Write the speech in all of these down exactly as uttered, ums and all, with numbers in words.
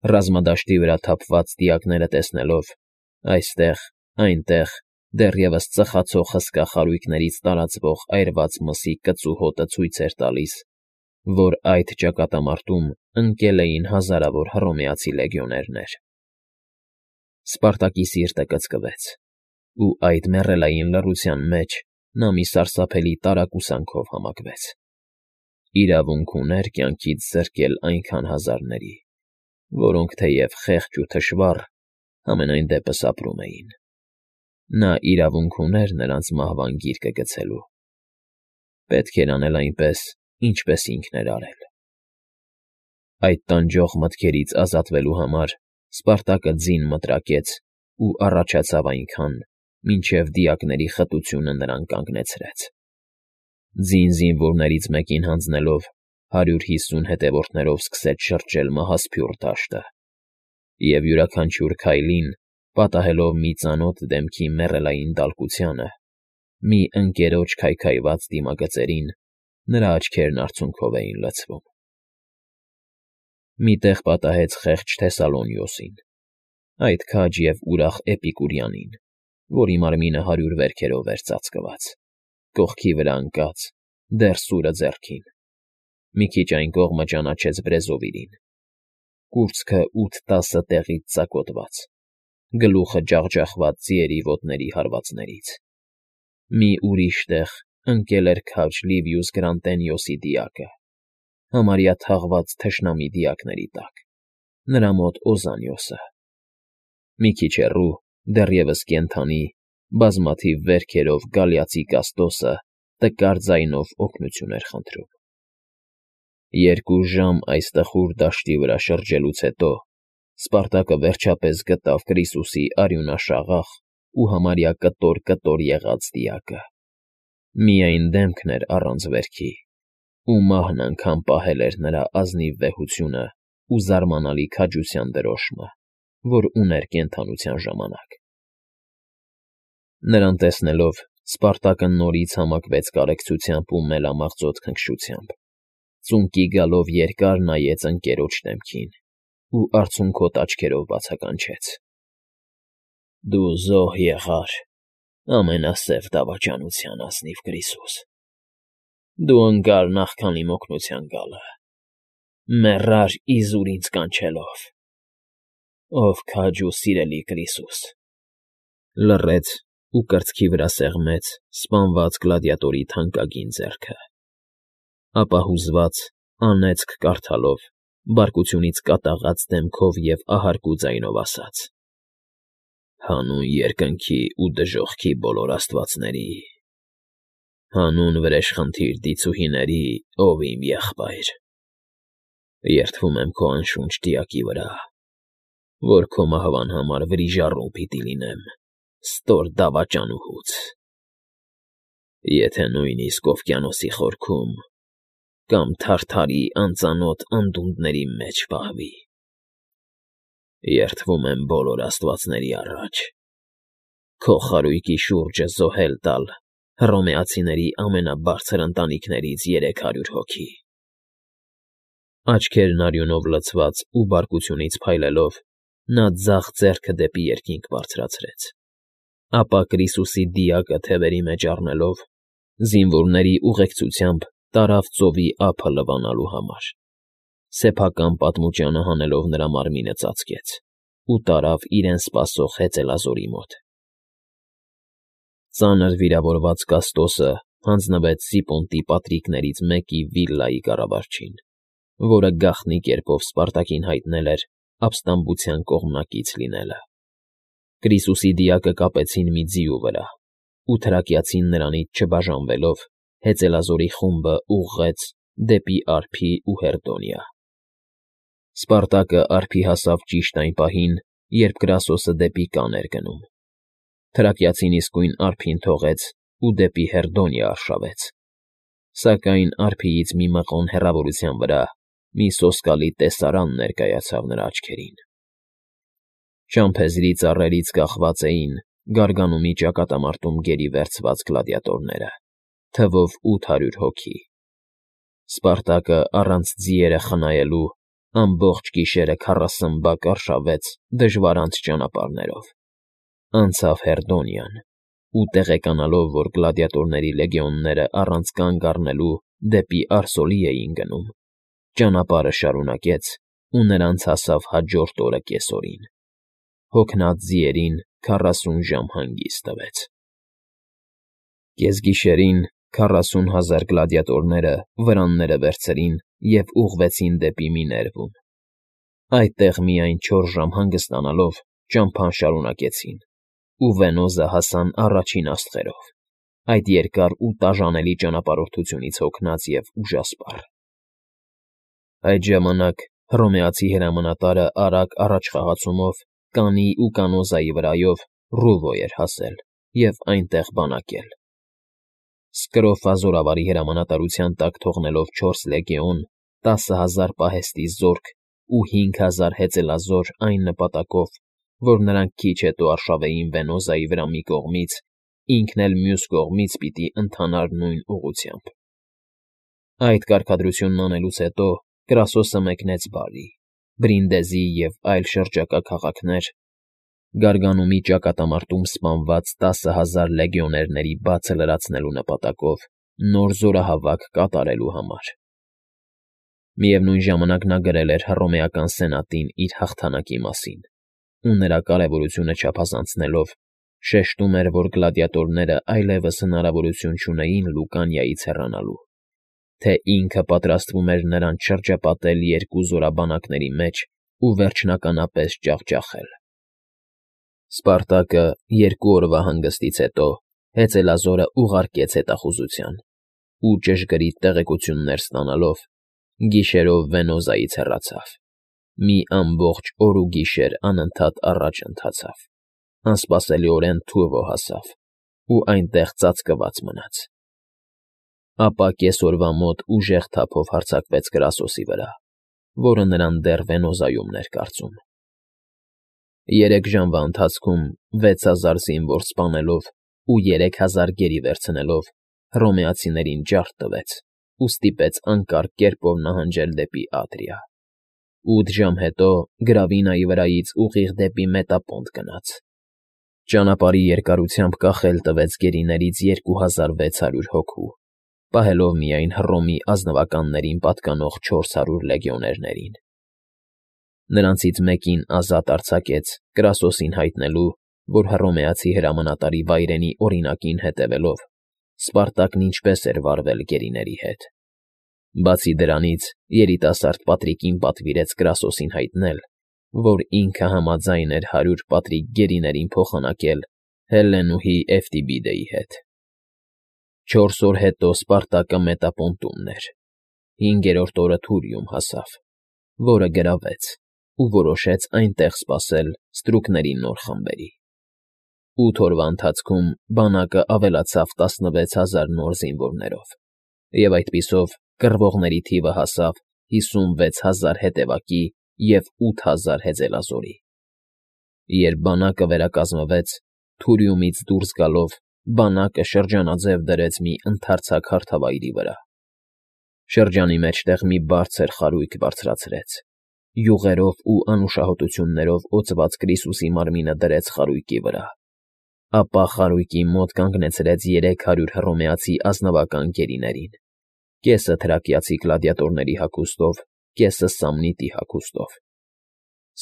Ռազմադաշտի վրա թափված դիակները տեսնելով, այստեղ, այնտեղ, դեռևս ծխացող հսկա խարույկներից տարածվող այրված մսի կծու հոտը ցույց էր տալիս, որ այդ ճակատամարտում ընկել էին հազարավոր հռոմեացի լեգիոներներ։ Սպարտակի սիրտը կծկվեց, ու այդ մեռելային լռության մեջ նա մի սարսափելի տարակուսանքով համակվեց. իրավունք ուներ կյանքից զրկել այնքան հազարների, որոնք թեև խեղճ ու թշվառ, համենայն դեպս ապրում էին։ Նա իրավունք ուներ նրանց մահվան գիրկը գցելու։ Պետք էր անել այնպես, ինչպես ինքն էր արել։ Այդ տանջող մտքերից ազատվելու համար Սպարտակը ձին մտրակեց ու առաջացավ այնքան, մինչև դիակների խտությունը նրան կանգնեցրեց։ Ձին զինվորներից մեկին հանձնելով, հարյուր հիսուն հետևորդներով սկսեց շրջել մահասփյուռ դաշտը, և յուրաքանչյուր քայլին, պատահելով մի ծանոթ դեմքի մեռելային դալկությանը, մի ընկերոջ քայքայված դիմագծերին, նրա աչքերն արցունքով էին լցվում։ Մի տեղ պատահեց խեղճ Թեսալոնիոսին, այդ քաջ և ուրախ Էպիկուրյանին, որի մարմինը հարյուր վերքերով էր ծածկված, կողքի վրա ընկած, դեռ սուրը ձեռքին։ Մի քիչ այն կողմը ճանաչեց Բրեզովիրին, կուրծքը ութ֊տասը տեղից ծակոտված, գլուխը ջախջախված ձիերի ոտների հարվածներից։ Մի ուրիշ տեղ ընկել էր քաջ Լիվիուս Գրանտենիոսի դիակը, համարյա թաղված թշնամի դիակների տակ, նրա մոտ Օզանիոսը։ Մի քիչ հեռու, դեռևս կենդանի, բազմաթիվ վերքերով գալիացի Կաստոսը տկար ձայնով օգնություն էր խնդրում։ Երկու ժամ այս տխուր դաշտի վրա շրջելուց հետո Սպարտակը վերջապես գտավ Կրիսուսի արյունաշաղախ ու համարյա կտոր֊կտոր եղած դիակը։ Միայն դեմքն էր առանց վերքի, ու մահն անգամ պահել էր նրա ազնիվ վեհությունն ու զարմանալի քաջության դրոշմը, որ ուներ կենդանության ժամանակ։ Նրան տեսնելով, Սպարտակը նորից համակվեց կարեկցությամբ ու մելամաղձոտ քնքշությամբ, ծունկի գալով երկար նայեց ընկերոջ դեմքին ու արցունքոտ աչքերով բացականչեց. «Դու զոհ եղար, ամենասև դավաճանության ազնիվ Կրիսուս, դու ընկար նախքան իմ օգնության գալը, մեռար իզուր ինձ կանչելով, ով քաջ ու սիրելի Կրիսուս»։ Լռեց ու կրծքի վրա սեղմեց սպանված գլադիատորի թանկագին ձեռքը, ապա հուզված, անեծք կարդալով, բարկությունից կատաղած դեմքով և ահարկու ձայնով ասաց. «Հանուն երկնքի ու դժոխքի բոլոր աստվածների, հանուն վրեժխնդիր դիցուհիների, ով իմ եղբայր, երդվում եմ քո անշունչ դիակի վրա, որ քո մահվան համար վրիժառու պիտի լինեմ ստոր դավաճանուհուց, եթե նույնիսկ օվկիանոսի խորքում կամ թարթարի անծանոթ անդունդների մեջ պահվի։ Երդվում եմ բոլոր աստվածների առաջ քո խարույկի շուրջը զոհել տալ հռոմեացիների ամենաբարձր ընտանիքներից երեք հարյուր հոգի»։ Աչքերն արյունով լցված ու բարկությունից փայլելով, նա ձախ ձեռքը դեպի երկինք բարձրացրեց, ապա Կրիսուսի դիակը թևերի մեջ առնելով, զինվորների ուղեկցությամբ տարավ ծովի ափը լվանալու համար, սեփական պատմուճանը հանելով նրա մարմինը ծածկեց ու տարավ իրեն սպասող հեծելազորի մոտ։ Ծանր վիրավորված Կաստոսը հանձնվեց Զիպոնտի պատրիկներից մեկի վիլլայի կառավարչին, որը գաղտնի կերպով Սպարտակին հայտնել էր ապստամբության կողմնակից լինելը։ Կրիսուսի դիակը կապեցին մի ձիու վրա ու թրակյացին նրանից չբաժանվելով, հեծելազորի խումբը ուղղեց դեպի ափի ու Հերդոնիա։ Սպարտակը ափի հասավ ճիշտ այն պահին, երբ Կրասոսը դեպի կան էր գնում։ Թրակյացին իսկույն ափին թողեց ու դեպի Հերդոնիա արշավեց, սակայն ափիից մի մղոն հեռավորության վրա մի սոսկալի տեսարան ներկայացավ նրա աչքերին։ Ճամփեզի ծառերից կախված էին Գարգանումի ճակատամարտում գերի վերցված գլադիատորները, թվով ութ հարյուր հոգի։ Սպարտակը առանց ձիերը խնայելու Ամբողջ գիշերը քառասուն բակ արշավեց դժվարանց ճանապարհներով, անցավ Հերդոնյան ու տեղեկանալով, որ գլադիատորների լեգիոնները առանց կանգ առնելու դեպի Արսոլի էին գնում, ճանապարհը շարունակեց ու նրանց հասավ հաջորդ օրը կեսօրին, հոգնած ձիերին քառասուն ժամ հանգիստ տվեց։ Կեսգիշերին քառասուն հազար գլադիատորները վրանները վերցրին և ուղղվեցին դեպի Միներվում։ Այդտեղ միայն չորս ժամ հանգստանալով ճամփան շարունակեցին ու Վենոզը հասան առաջին աստղերով, այդ երկար ու տաժանելի ճանապարհորդությունից հոգնած և ուժասպառ։ Այդ ժամանակ հռոմեացի հրամանատարը արագ առաջխաղացումով Կանի ու Կանոզայի վրայով Ռուվո էր հասել և այնտեղ բանակել։ Սկրոֆա զորավարի հրամանատարության տակ թողնելով չորս լեգիոն, տասը հազար պահեստի զորք ու հինգ հազար հեծելազոր այն նպատակով, որ նրանք քիչ հետո արշավեին Վենոզայի վրա մի կողմից, ինքն էլ մյուս կողմից պիտի ընթանար նույն ուղղությամբ։ Այդ կարգադրությունն անելուց հետո Կրասոսը մեկնեց Բարի, Բրինդեզի և այլ շրջակա քաղաքներ, Գարգանումի ճակատամարտում սպանված տասը հազար լեգիոներների բացը լրացնելու նպատակով նոր զորահավաք կատարելու համար։ Միևնույն ժամանակ նա գրել էր հռոմեական սենատին իր հաղթանակի մասին ու նրա կարևորությունը չափազանցնելով շեշտում էր, որ գլադիատորները այլևս հնարավորություն չունեին Լուկանիայից հեռանալու, թե ինքը պատրաստվում էր նրանց շրջապատել երկու զորաբանակների մեջ ու վերջնականապես ջախջախել։ Սպարտակը երկու օրվա հանգստից հետո հեծելազորը ուղարկեց հետախուզության ու ճշգրիտ տեղեկություններ ստանալով գիշերով Վենոզայից հեռացավ, մի ամբողջ օր ու գիշեր անընդհատ առաջ ընթացավ, անսպասելիորեն Թուվո հասավ ու այնտեղ ծածկված մնաց։ Ապա կեսօրվա մոտ ուժեղ թափով հարձակվեց Կրասոսի վրա, որը նրան դեռ Վենոզայումն էր կարծում։ Երեք ժամվա ընթացքում վեց հազար զինվոր սպանելով ու երեք հազար գերի վերցնելով հռոմեացիներին ջարդ տվեց ու ստիպեց անկարգ կերպով նահանջել դեպի Ադրիա։ Ութ ժամ հետո Գրավինայի վրայից ուղիղ դեպի Մետապոնտ գնաց։ Ճանապարհի երկարությամբ կախել տվեց գերիներից երկու հազար վեց հարյուր հոգու, պահելով միայն Հռոմի ազնվականներին պատկանող չորս հարյուր լեգիոներներին։ Նրանցից մեկին ազատ արձակեց Կրասոսին հայտնելու, որ հռոմեացի հրամանատարի վայրենի օրինակին հետևելով Սպարտակն ինչպես էր վարվել գերիների հետ։ Բացի դրանից երիտասարդ Պատրիկին պատվիրեց Կրասոսին հայտնել, որ ինքը համաձայն էր հարյուր պատրիկ գերիներին փոխանակել Հելլենուհի Էվտիբիդեի հետ։ Չորս օր հետո Սպարտակը Մետապոնտումն էր, հինգերորդ օրը Թուրիում հասավ, որը գրավեց ու որոշեց այնտեղ սպասել ստրուկների նոր խմբերի։ Ութ օրվա ընթացքում բանակը ավելացավ տասնվեց հազար նոր զինվորներով, և այդպիսով կռվողների թիվը հասավ հիսունվեց հազար հետևակի և ութ հազար հեծելազորի։ Երբ բանակը վերակազմվեց, Թուրիումից դուրս գալով բանակը շրջանաձև դրեց մի ընդարձակ հարթավայրի վրա։ Շրջանի մեջտեղ մի բարձր խարույկ բարձրացրեց, յուղերով ու անուշահոտություններով օծված Կրիսուսի մարմինը դրեց խարույկի վրա, ապա խարույկի մոտ կանգնեցրեց երեք հարյուր հռոմեացի ազնվական գերիներին, կեսը թրակիացի գլադիատորների հագուստով, կեսը Սամնիտի հագուստով։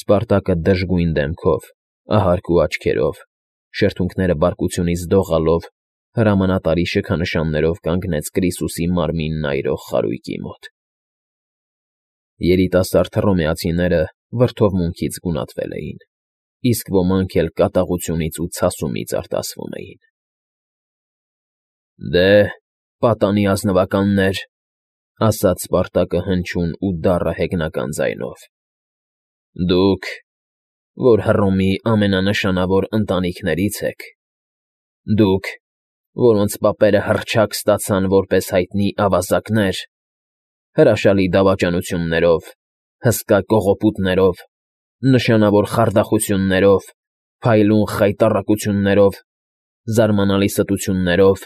Սպարտակը դժգույն դեմքով, ահարկ ու աչքերով, շրթունքները բարկությունից դողալով, հրամանատարի շքանշաններով կանգնեց Կրիսուսի մարմինն այրող խարույկի մոտ։ Երիտասարդ հռոմեացիները վրդովմունքից գունատվել էին, իսկ ոմանք էլ կատաղությունից ու ցասումից արտասվում էին։ «Դե, պատանի ազնվականներ,֊ ասաց Սպարտակը հնչյուն ու դառը հեգնական ձայնով,֊ դուք, որ Հռոմի ամենանշանավոր ընտանիքներից եք, դուք, որոնց պապերը հռչակ ստացան որպես հայտնի ավազակներ, հրաշալի դավաճանություններով, հսկա կողոպուտներով, նշանավոր խարդախություններով, փայլուն խայտառակություններով, զարմանալի ստություններով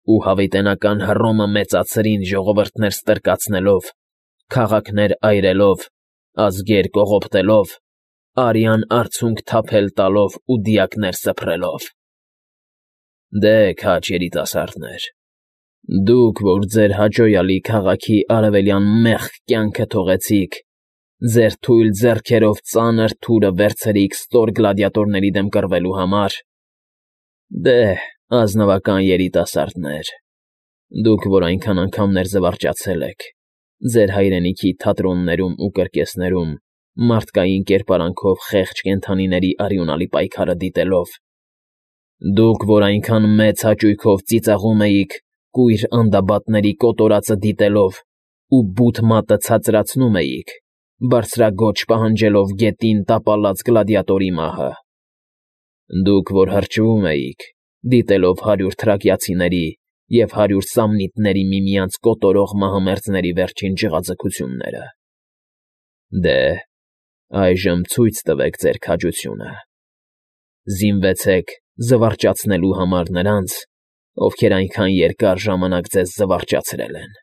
ու հավիտենական Հռոմը մեծացրին ժողովուրդներ ստրկացնելով, քաղաքներ այրելով, ազգեր կողոպտելով, արյան արցունք թափել տալով ու դիակներ սփռելով։ Դե, քաջ երիտասարդներ, դուք, որ ձեր հաճոյալի քաղաքի արևելյան մեղք կյանքը թողեցիք, ձեր թույլ ձեռքերով ծանր թուրը վերցրիք ստոր գլադիատորների դեմ կռվելու համար, դե, ազնվական երիտասարդներ, դուք, որ այնքան անգամներ զվարճացել եք, ձեր հայրենիքի թատրոններում ու կրկեսներում մարդկային կերպարանքով խեղճ կենդանիների արյունալի պայքարը դիտելով, դուք, որ այնքան մեծ հաճույքով ծիծաղում էիք կույր անդաբատների կոտորածը դիտելով ու բութ մատը ցածրացնում էիք, բարձրաձոչ պահանջելով գետին տապալած գլադիատորի մահը, դուք, որ հրճվում էիք, դիտելով հարյուր թրակիացիների և հարյուր սամնիտների միմյանց կոտորող մահամերձների վերջին ջղաձգությունները, դե, այժմ ցույց տվեք ձեր քաջությունը, զինվեցեք զվարճացնելու համար նրանց, ովքեր այնքան երկար ժամանակ ձեզ զվարճացրել են,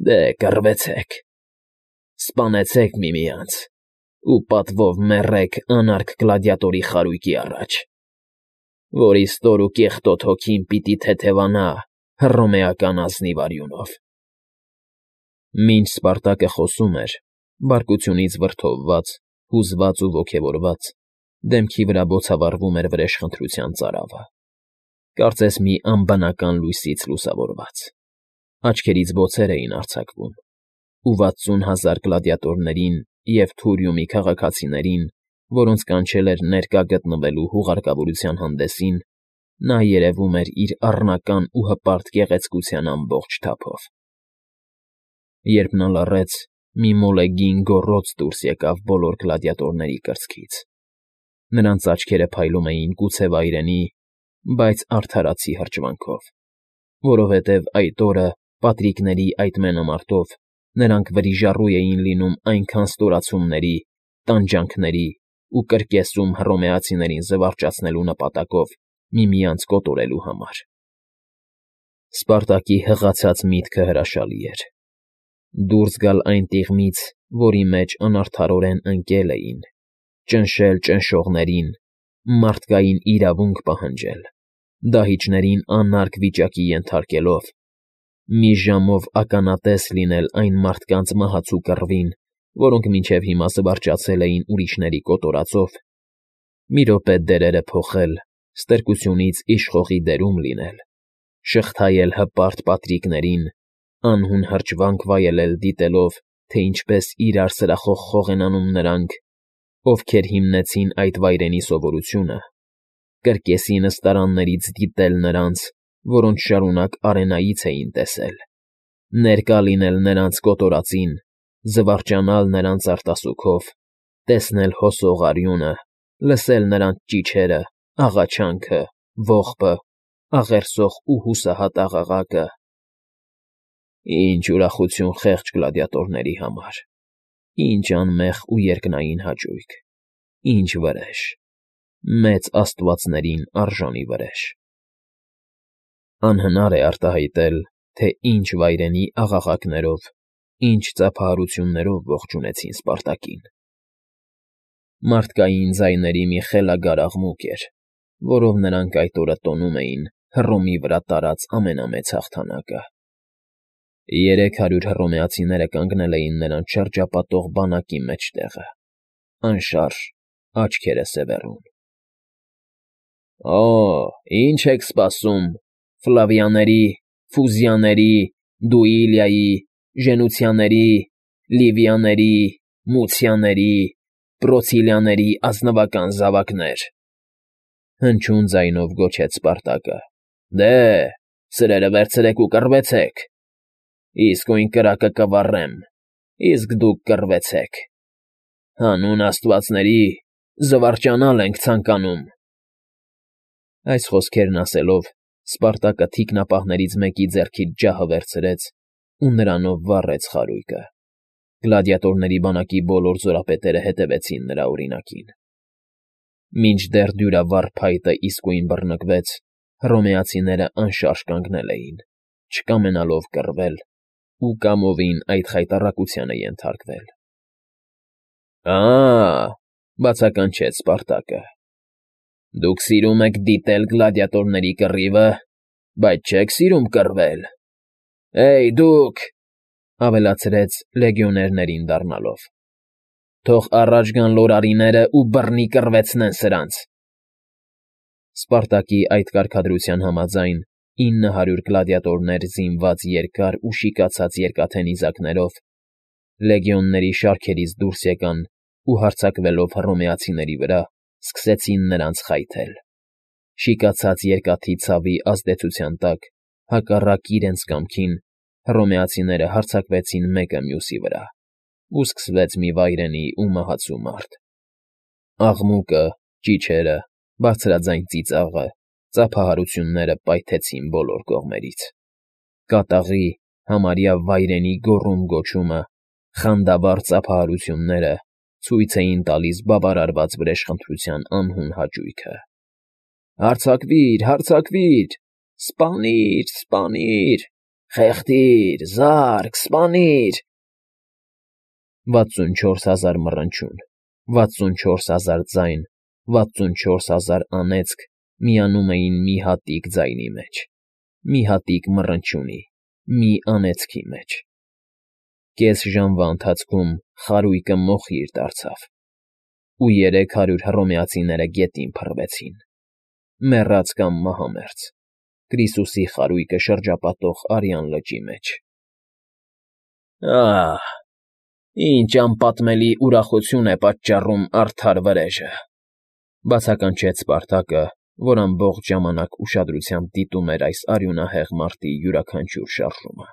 դե, կռվեցեք, սպանեցեք միմյանց ու պատվով մեռեք անարգ գլադիատորի խարույկի առաջ, որի ստոր ու կեղտոտ հոգին պիտի թեթևանա հռոմեական ազնիվ արյունով։ Մինչ Սպարտակը խոսում էր, բարկությունից վրդովված, հուզված ու ոգևորված, դեմքի վրա բոցավառվում էր վրեժխնդրության ծարավը, կարծես մի անբնական լույսից լուսավորված, աչքերից բոցեր էին արձակվում, ու վաթսուն հազար գլադիատորներին և Թուրիումի քաղաքացիներին, որոնց կանչել էր ներկա գտնվելու հուղարկավորության հանդեսին, նա երևում էր իր առնական ու հպարտ գեղեցկության ամբողջ թափով։ Երբ նա լռեց, մի մոլեգին գոռոց դուրս եկավ բոլոր գլադիատորների կրծքից. նրանց աչքերը փայլում էին գուցե վայրենի, բայց արդարացի հրճվանքով, որովհետև այդ օրը պատրիկների այդ մենամարտով նրանք վրիժառու էին լինում այնքան ստորացումների, տանջանքների ու կրկեսում հռոմեացիներին զվարճացնելու նպատակով միմյանց կոտորելու համար։ Սպարտակի հղացած միտքը հրաշալի էր. դուրս գալ այն տիղմից, որի մեջ անարդարորեն ընկել էին, ճնշել ճնշողներին, մարդկային իրավունք պահանջել, դահիճներին անարգ վիճակի ենթարկելով, մի ժամով ականատես լինել այն մարդկանց մահացու կռվին, որոնք մինչև հիմա զվարճացել էին ուրիշների կոտորածով, մի րոպե դերերը փոխել, ստրկությունից իշխողի դերում լինել, շղթայել հպարտ պատրիկներին, անհուն հրճվանք վայելել դիտելով, թե ինչպես իրար սրախոխող են անում նրանք, ովքեր հիմնեցին այդ վայրենի սովորությունը, կրկեսի նստարաններից դիտել նրանց, որոնց շարունակ արենայից էին տեսել, ներկա լինել նրանց կոտորածին, զվարճանալ նրանց արտասուքով, տեսնել հոսող արյունը, լսել նրանց ճիչերը, աղաչանքը, ողբը, աղերսող ու հուսահատ աղաղակը… Ինչ ուրախություն խեղճ գլադիատորների համար, ինչ անմեղ ու երկնային հաճույք, ինչ վրեժ, մեծ աստվածներին արժանի վրեժ… Անհնար է արտահայտել, թե ինչ վայրենի աղաղակներով, ինչ ծափահարություններով ողջունեցին Սպարտակին։ Մարդկային ձայների մի խելագար աղմուկ էր, որով նրանք այդ օրը տոնում էին Հռոմի վրա տարած ամենամեծ հաղթանակը։ Երեք հարյուր հռոմեացիները կանգնել էին նրանց շրջապատող բանակի մեջտեղը, անշարժ, աչքերը սևեռուն։ Օ՜, ի՞նչ եք սպասում, Ֆլավիաների, Ֆուզիաների, Դուիլիայի, Ժենուցիաների, Լիվիաների, Մուցիաների, Պրոցիլիաների ազնվական զավակներ…֊ հնչյուն ձայնով գոչեց Սպարտակը։ Դե, սրերը վերցրեք ու կռվեցեք… Իսկույն կրակը կվառեմ, իսկ դուք կռվեցեք… Հանուն աստվածների, զվարճանալ ենք ցանկանում… Այս խոսքերն ասելով, Սպարտակը թիկնապահներից մեկի ձեռքից ջահը վերցրեց ու նրանով վառեց խարույկը։ Գլադիատորների բանակի բոլոր զորապետերը հետևեցին նրա օրինակին։ Մինչդեռ դյուրավառ փայտը իսկույն բռնկվեց, հռոմեացիները անշարժ կանգնել էին, չկամենալով կռվել ու կամովին այդ խայտառակությանը ենթարկվել։ Ա՜, բացականչեց Սպարտակը։ Դուք սիրում եք դիտել գլադիատորների կռիվը, բայց չեք սիրում կռվել։ Հեյ, դուք,֊ ավելացրեց լեգիոներներին դառնալով,֊ թող առաջ գան լորարիներն ու բռնի կռվեցնեն սրանց… Սպարտակի այդ կարգադրության համաձայն, ինը հարյուր գլադիատորներ զինված երկար ու շիկացած երկաթե նիզակներով լեգիոնների շարքերից դուրս եկան ու հարձակվելով հռոմեացիների վրա, սկսեցին նրանց խայթել. շիկացած երկաթի ցավի ազդեցության տակ, հակառակ իրենց կամքին, հռոմեացիները հարձակվեցին մեկը մյուսի վրա, ու սկսվեց մի վայրենի ու մահացու մարտ… Աղմուկը, ճիչերը, բարձրաձայն ծիծաղը, ծափահարությունները պայթեցին բոլոր կողմերից… Կատաղի, համարյա վայրենի գոռում֊գոչումը, խանդավառ ծափահարությունները ցույց էին տալիս բավարարված վրեժխնդրության անհուն հաճույքը. «Հարձակվի՛ր, հարձակվի՛ր, սպանի՛ր, սպանի՛ր, խեղդի՛ր, զա՛րկ, սպանի՛ր…» վաթսունչորս հազար մռնչյուն, վաթսունչորս հազար ձայն, վաթսունչորս հազար անեծք միանում էին մի հատիկ ձայնի մեջ, մի հատիկ մռնչյունի, մի անեծքի մեջ… Կես ժամվա ընթացքում խարույկը մոխիր դարձավ, ու երեք հարյուր հռոմեացիները գետին փռվեցին, մեռած կամ մահամերձ, Կրիսուսի խարույկը շրջապատող արյան լճի մեջ… Ահ, ինչ անպատմելի ուրախություն է պատճառում արդար վրեժը…֊ բացականչեց Սպարտակը, որ ամբողջ ժամանակ ուշադրությամբ դիտում էր այս արյունահեղ մարդի յուրաքանչյուր շարժումը։